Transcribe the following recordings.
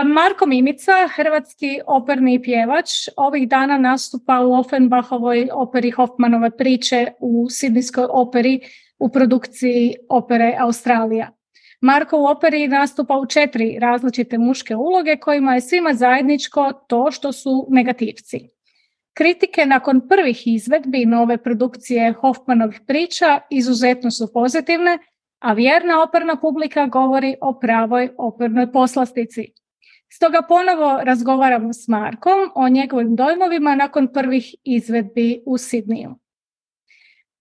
Marko Mimica, hrvatski operni pjevač, ovih dana nastupa u Offenbachovoj operi Hoffmanove priče u Sidnijskoj operi u produkciji opere Australija. Marko u operi nastupa u 4 različite muške uloge kojima je svima zajedničko to što su negativci. Kritike nakon prvih izvedbi nove produkcije Hoffmanovih priča izuzetno su pozitivne, a vjerna operna publika govori o pravoj opernoj poslastici. Stoga ponovo razgovaramo s Markom o njegovim dojmovima nakon prvih izvedbi u Sidniju.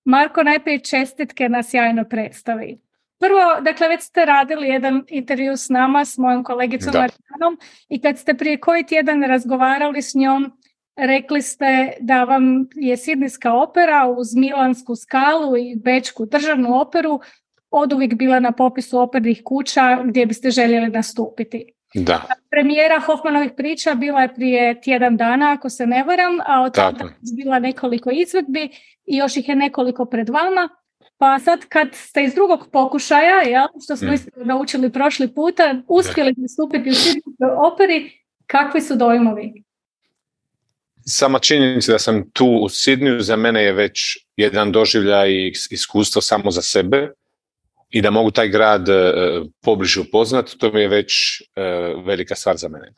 Marko, najprije čestitke na sjajnoj predstavi. Prvo, dakle, već ste radili jedan intervju s nama, s mojom kolegicom Marijanom, i kad ste prije koji tjedan razgovarali s njom, rekli ste da vam je Sidnijska opera uz Milansku Skalu i Bečku državnu operu oduvijek bila na popisu opernih kuća gdje biste željeli nastupiti. Da. Premijera Hoffmanovih priča bila je prije tjedan dana, ako se ne varam, a od tada je bila nekoliko izvedbi i još ih je nekoliko pred vama. Pa sad kad ste iz drugog pokušaja, što smo naučili prošli puta, uspjeli nastupiti u Sidnijskoj operi, kakvi su dojmovi? Sama činjenica da sam tu u Sidniju za mene je već jedan doživljaj i iskustvo samo za sebe i da mogu taj grad pobliže upoznati, to mi je već velika stvar za mene.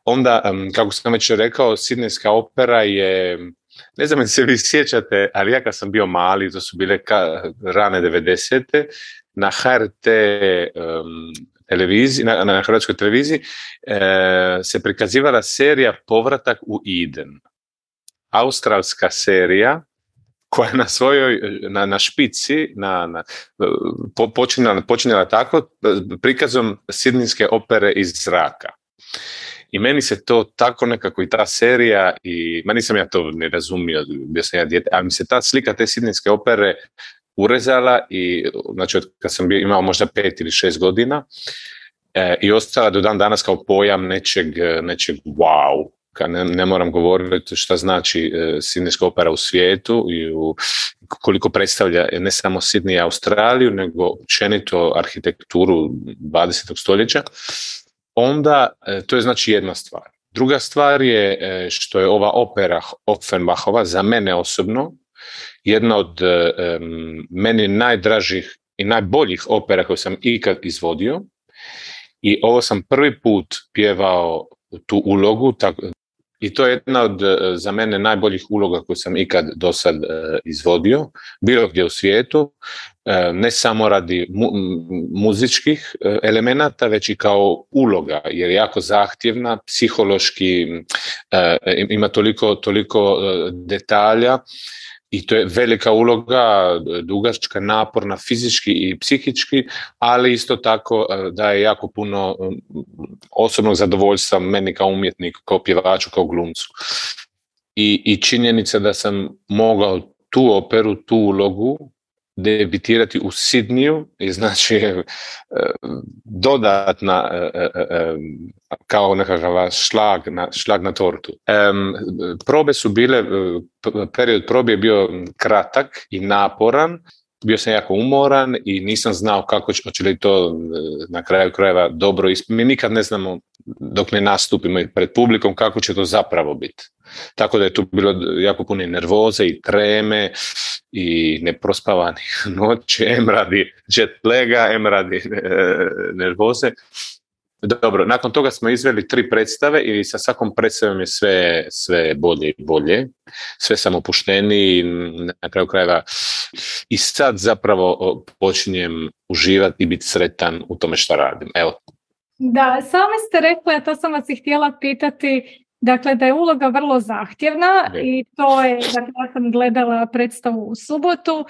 Onda, kako sam već rekao, Sidnijska opera je, ne znam se vi sjećate, ali ja kad sam bio mali, to su bile rane 90. na HRT televiziji, na hrvatskoj televiziji se prikazivala serija Povratak u Eden. Australska serija koja je na svojoj, na špici počinjala tako prikazom Sidnijske opere iz zraka. I meni se to tako nekako i ta serija, ma nisam ja to ne razumio, bio sam ja dijete, ali mi se ta slika te Sidnijske opere urezala i znači kad sam imao možda 5 ili 6 godina i ostala do dan danas kao pojam nečeg wow. Ne moram govoriti šta znači Sidnijska opera u svijetu i koliko predstavlja ne samo Sidney i Australiju, nego općenito arhitekturu 20. stoljeća. Onda to je znači jedna stvar. Druga stvar je što je ova opera Offenbachova za mene osobno jedna od meni najdražih i najboljih opera koju sam ikad izvodio i ovo sam prvi put pjevao tu ulogu i to je jedna od za mene najboljih uloga koju sam ikad do sad izvodio, bilo gdje u svijetu, ne samo radi muzičkih elemenata, već i kao uloga, jer je jako zahtjevna, psihološki, ima toliko detalja i to je velika uloga, dugačka, naporna, fizički i psihički, ali isto tako daje jako puno osobnog zadovoljstva meni kao umjetniku, kao pjevaču, kao glumcu. I činjenica da sam mogao tu operu, tu ulogu debitirati u Sidniju i znači dodatna kao nekakav šlag na tortu. Probe su bile, period probe je bio kratak i naporan, bio sam jako umoran i nisam znao kako će li to na kraju krajeva dobro ispiti. Mi nikad ne znamo dok ne nastupimo pred publikom kako će to zapravo biti. Tako da je tu bilo jako puno nervoze i treme i neprospavanih noći, em radi jet laga, em radi nervoze. Dobro, nakon toga smo izveli 3 predstave i sa svakom predstavom je sve bolje i bolje. Sve sam opušteniji na kraju krajeva i sad zapravo počinjem uživati i biti sretan u tome što radim. Evo. Da, sami ste rekli, a to sam vas i htjela pitati, dakle da je uloga vrlo zahtjevna i to je, dakle ja sam gledala predstavu u subotu,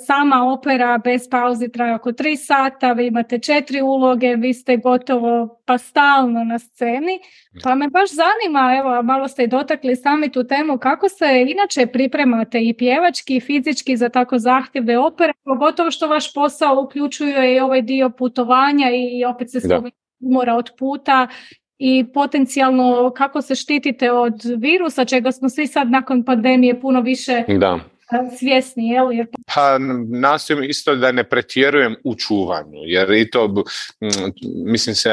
sama opera bez pauzi traje oko 3 sata, vi imate 4 uloge, vi ste gotovo pa stalno na sceni, pa me baš zanima, evo malo ste i dotakli sami tu temu, kako se inače pripremate i pjevački i fizički za tako zahtjevne opere, pogotovo što vaš posao uključuje i ovaj dio putovanja i opet se umora od puta, i potencijalno kako se štitite od virusa, čega smo svi sad nakon pandemije puno više svjesni, jel? Jer Pa nastojim isto da ne pretjerujem u čuvanju, jer i to, mislim se,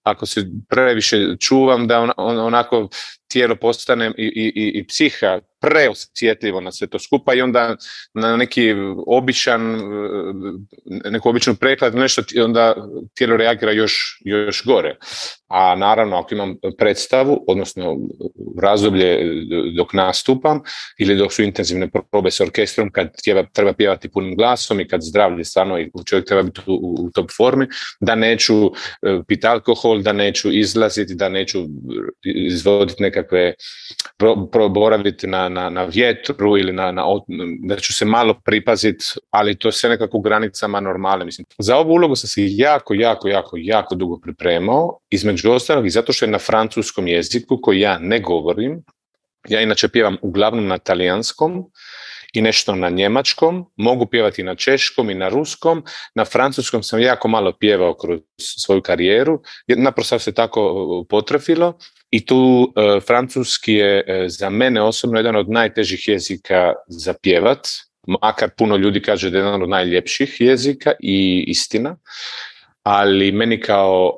ako se previše čuvam, da onako tijelo postane i psiha preosjetljivo na sve to skupa i onda na neku običnu preklad, nešto, onda tijelo reagira još gore. A naravno, ako imam predstavu, odnosno razdoblje dok nastupam ili dok su intenzivne probe s orkestrom, kad treba pjevati punim glasom i kad zdravlje stvarno i čovjek treba biti u top formi, da neću piti alkohol, da neću izlaziti, da neću izvoditi nekakve, boraviti na vjetru ili da ću se malo pripaziti, ali to sve nekako u granicama normale. Mislim. Za ovu ulogu sam se jako dugo pripremao, između ostalog i zato što je na francuskom jeziku koji ja ne govorim. Ja inače pjevam uglavnom na talijanskom i nešto na njemačkom, mogu pjevati na češkom i na ruskom, na francuskom sam jako malo pjevao kroz svoju karijeru, naprosto se tako potrefilo i tu francuski je za mene osobno jedan od najtežih jezika za pjevat, makar puno ljudi kaže da je jedan od najljepših jezika i istina. Ali meni kao,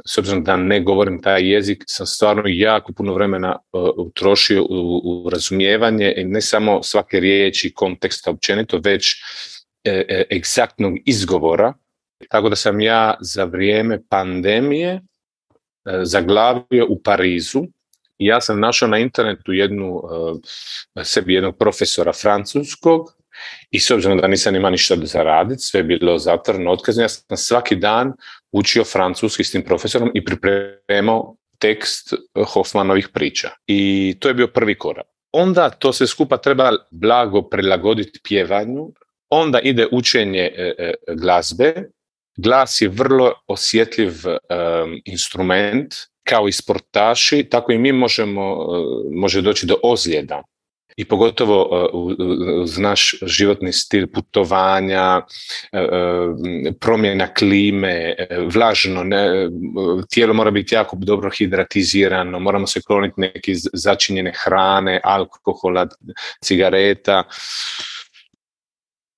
s obzirom da ne govorim taj jezik, sam stvarno jako puno vremena utrošio u razumijevanje i ne samo svake riječi, konteksta općenito, već egzaktnog izgovora. Tako da sam ja za vrijeme pandemije zaglavio u Parizu. Ja sam našao na internetu sebi jednog profesora francuskog, i s obzirom da nisam imao ništa za raditi, sve je bilo zatvoreno, otkazno, ja sam svaki dan učio francuski s tim profesorom i pripremao tekst Hoffmanovih priča. I to je bio prvi korak. Onda to sve skupa treba blago prilagoditi pjevanju, onda ide učenje glazbe. Glas je vrlo osjetljiv instrument, kao i sportaši, tako i mi može doći do ozljeda. I pogotovo uz naš životni stil putovanja, promjena klime, vlažno, tijelo mora biti jako dobro hidratizirano, moramo se kloniti neke začinjene hrane, alkohola, cigareta.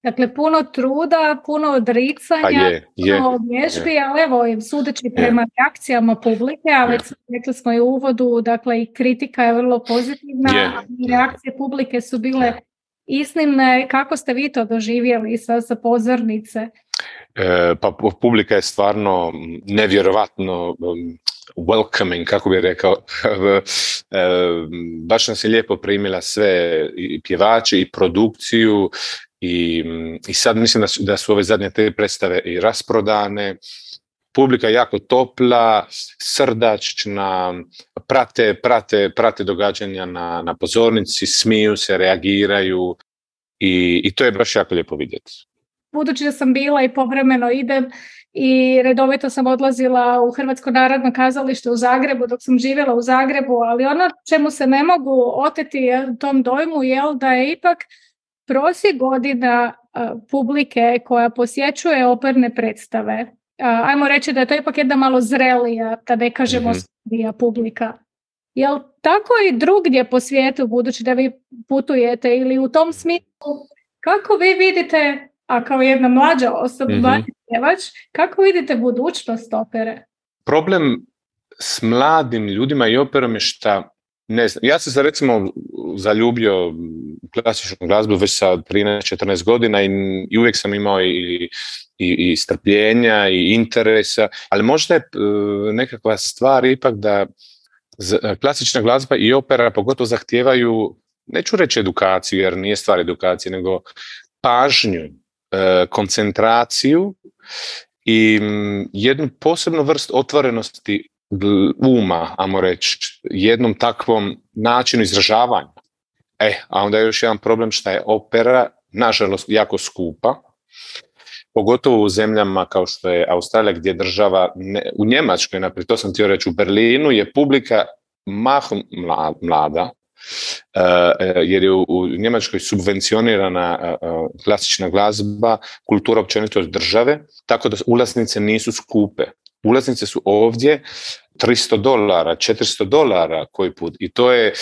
Dakle, puno truda, puno odricanja, puno vježbi, ali evo, sudeći prema reakcijama publike, a već rekli smo i u uvodu, dakle i kritika je vrlo pozitivna, i reakcije publike su bile iznimne. Kako ste vi to doživjeli sa pozornice? Pa publika je stvarno nevjerovatno welcoming, kako bih rekao. Baš nas je lijepo primila sve, i pjevači i produkciju. I sad mislim da su ove zadnje 3 predstave i rasprodane. Publika je jako topla, srdačna, prate događanja na pozornici, smiju se, reagiraju i to je baš jako lijepo vidjeti. Budući da sam bila i povremeno idem i redovito sam odlazila u Hrvatsko narodno kazalište u Zagrebu dok sam živjela u Zagrebu, ali ono čemu se ne mogu oteti tom dojmu je da je ipak prosjek godina publike koja posjećuje operne predstave. Ajmo reći da je to ipak jedna malo zrelija, da ne kažemo starija publika. Jel tako i drugdje po svijetu, budući da vi putujete, ili u tom smislu, kako vi vidite, a kao jedna mlađa osoba, pjevač, kako vidite budućnost opere? Problem s mladim ljudima i operom je šta, ne znam, ja sam se recimo zaljubio u klasičnu glazbu već sa 13-14 godina i uvijek sam imao i strpljenja i interesa, ali možda je nekakva stvar ipak da klasična glazba i opera pogotovo zahtijevaju, neću reći edukaciju jer nije stvar edukacije, nego pažnju, koncentraciju i jednu posebnu vrst otvorenosti uma, ajmo reći, jednom takvom načinu izražavanja. A onda je još jedan problem što je opera, nažalost, jako skupa, pogotovo u zemljama kao što je Australija, gdje država, u Njemačkoj, naprijed, to sam htio reći, u Berlinu je publika mahom mlada, jer je u Njemačkoj subvencionirana klasična glazba, kultura općenito od države, tako da ulaznice nisu skupe. Ulaznice su ovdje $300, $400 koji put i to je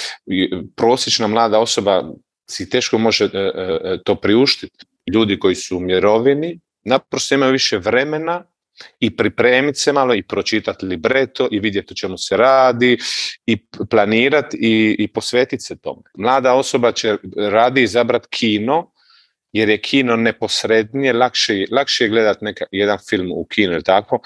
prosječna mlada osoba si teško može to priuštiti. ljudi koji su u mirovini naprosto imaju više vremena i pripremiti se malo i pročitati libreto i vidjeti o čemu se radi i planirati i posvetiti se tome. Mlada osoba će radi izabrati kino, jer je kino neposrednije, lakše je gledati jedan film u kinu ili tako,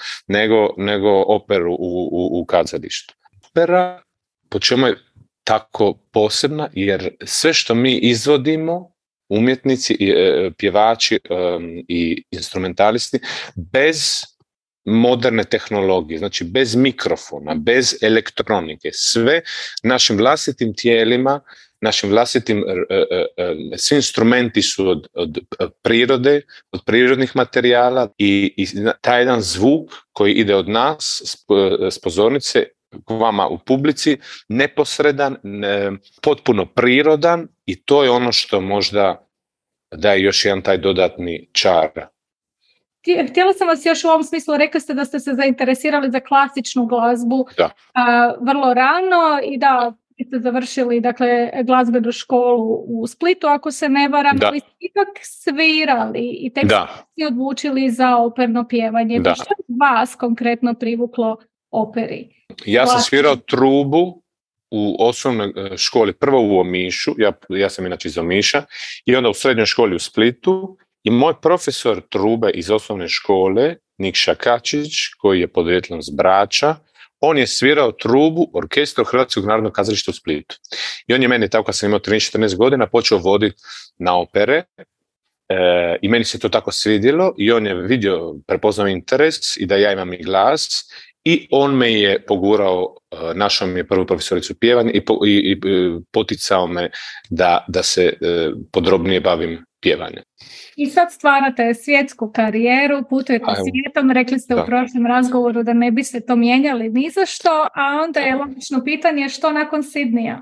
nego operu u kazalištu. Opera, po čemu je tako posebna, jer sve što mi izvodimo, umjetnici, pjevači i instrumentalisti, bez moderne tehnologije, znači bez mikrofona, bez elektronike, sve našim vlastitim tijelima, našim vlastitim, svi instrumenti su od prirode, od prirodnih materijala i taj jedan zvuk koji ide od nas s pozornice k vama u publici, neposredan, potpuno prirodan, i to je ono što možda daje još jedan taj dodatni čar. Htjela sam vas još u ovom smislu, rekli ste da ste se zainteresirali za klasičnu glazbu vrlo rano i da ste završili, dakle, glazbenu školu u Splitu, ako se ne varam, ali ste ipak svirali i tek ste se odlučili za operno pjevanje. Što je vas konkretno privuklo operi? Ja sam svirao trubu u osnovnoj školi, prvo u Omišu, ja sam inače iz Omiša, i onda u srednjoj školi u Splitu, i moj profesor trube iz osnovne škole, Nikša Kačić, koji je podrijetlom s Brača, on je svirao trubu orkestru Hrvatskog narodnog kazališta u Splitu. I on je meni, tako kad sam imao 13-14 godina, počeo voditi na opere, i meni se to tako svidjelo, i on je vidio, prepoznao interes i da ja imam i glas, i on me je pogurao, našao mi je prvu profesoricu pjevanja i poticao me da se podrobnije bavim pjevanjem. I sad stvarate svjetsku karijeru, putujete svijetom, rekli ste u prošlom razgovoru da ne biste to mijenjali ni za što, a onda je logično pitanje što nakon Sidneya?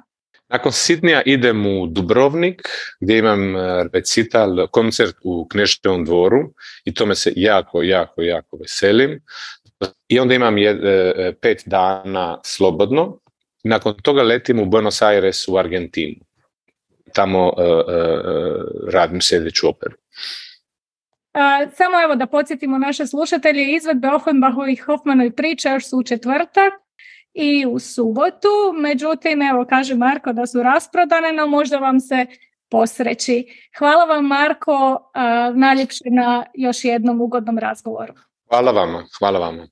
Nakon Sidneya idem u Dubrovnik, gdje imam recital, koncert u Kneževom dvoru, i tome se jako veselim. I onda imam 5 dana slobodno. Nakon toga letim u Buenos Aires u Argentinu. Tamo radim sljedeću operu. Samo evo da podsjetimo naše slušatelje, izvedbe Offenbachovih i Hoffmanovih priča još su u četvrtak i u subotu. Međutim, evo kaže Marko da su rasprodane, no možda vam se posreći. Hvala vam, Marko, najljepše na još jednom ugodnom razgovoru. Hvala vama.